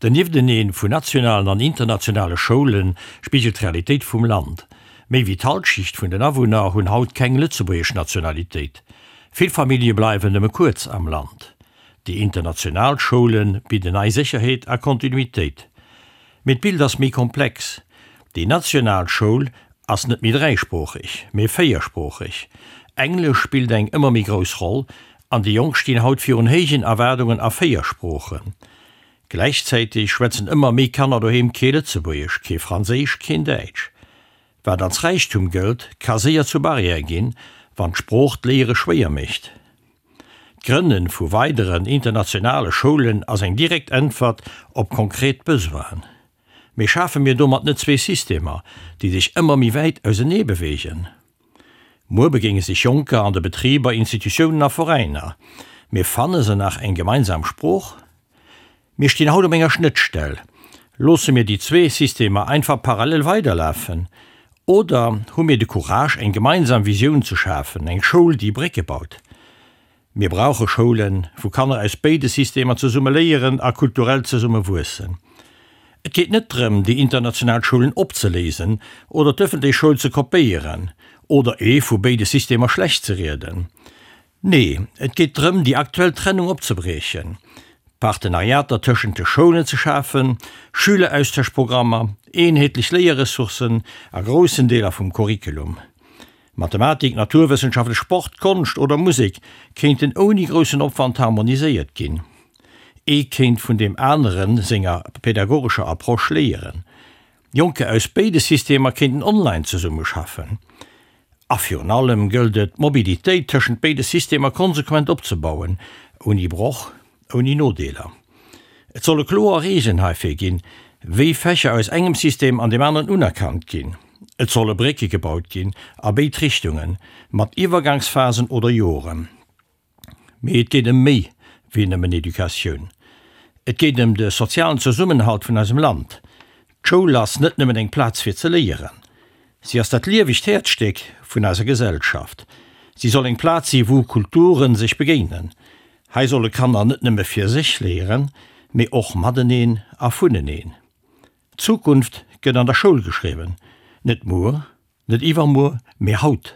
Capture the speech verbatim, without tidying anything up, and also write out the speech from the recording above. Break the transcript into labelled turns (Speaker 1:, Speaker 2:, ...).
Speaker 1: Den Niefteneen vun nationalen an internationale Schoulen spigelt d'Realitéit vum Land. Méi wéi d'Hallschent vun den Awunner hunn haut keng lëtzebuergesch Nationalitéit. Vill Famillje bleiwen nëmme kuerz am Land. Déi international Schoule bidden nei Sécherheet a Kontinuitéit. Mee d'Bild ass méi komplex. Déi national Schoul ass net méi dräisproocheg, mee véiersproocheg. Englesch spillt eng ëmmer méi grouss Roll an déi Jonk stinn haut virun héijen Erwaardungen a véier Sproochen. Gläichzäiteg schwätzen ëmmer méi Kanner doheem kee Lëtzebuergesch, kee Franséisch, keen Däitsch. Wat als Räichtum gëllt, ka séier zur Barrière ginn, wann d'Sprooch d'Léiere schwéier mécht. D'Grënne vu weideren internationale Schoulen ass eng direkt Äntwert op konkret Besoinen. Mee schafe mir domat net zwee Systemer, déi sech ëmmer méi wäit ausenee beweegen? Muer begéine sech Jonker an de Betriber, Institutiounen a Veräiner. Mee fanne se nach eng gemeinsam Sprooch? Mir stinn haut op enger Schnëttstell. Loosse mir déi zwee Systemer einfach parallel weiderlafen? Oder hu mir de Courage, eng gemeinsam Visioun ze schafen, eng Schoul, déi Brécke baut? Mir brauche Schoulen, wou Kanner aus béide Systemer zesumme léieren a kulturell zesumme wuessen. Et geet net drëm, déi international Schoulen opzeléisen oder d'ëffentlech Schoul ze kopéieren oder ee vu béide Systemer schlecht ze rieden. Nee, et geet drëm, déi aktuell Trennung opzebriechen. Partenariater tëschent de Schoulen ze schafen, Schüleraustauschprogrammer, eenheetlech Léierressourcen a groussen Deeler vum Curriculum. Mathematik, Naturwëssenschaften, Sport, Konscht oder Musek kéinten ouni groussen Opwand harmoniséiert ginn. Ee kéint vun deem anere senger pädagogescher Approche léieren. Jonker aus béide Systemer kéinten online zesummeschaffen. A virun allem gëllt et, d'Mobilitéit tëschent béide Systemer konsequent opzebauen, ouni Broch, ouni Nodeeler. Et solle kloer Reegelen heifir ginn, wéi Fächer aus engem System an deem aneren unerkannt ginn. Et solle Brécke gebaut ginn, a béid Richtungen, mat Iwwergangsphasen oder Joren. Mee et geet ëm méi wéi nëmmen Educatioun. Et geet ëm de sozialen Zesummenhalt vun eisem Land. D'Schoul ass net nëmmen eng Plaz fir ze léieren. Si ass dat liewegt Häerzstéck vun eiser Gesellschaft. Si soll eng Plaz si wou Kulturen sech begéinen. Hei solle Kanner net nëmme fir sech léieren, mee och mateneen a vuneneen. D'Zukunft gëtt an der Schoul geschriwwen, net muer, net iwwermuer, mee haut.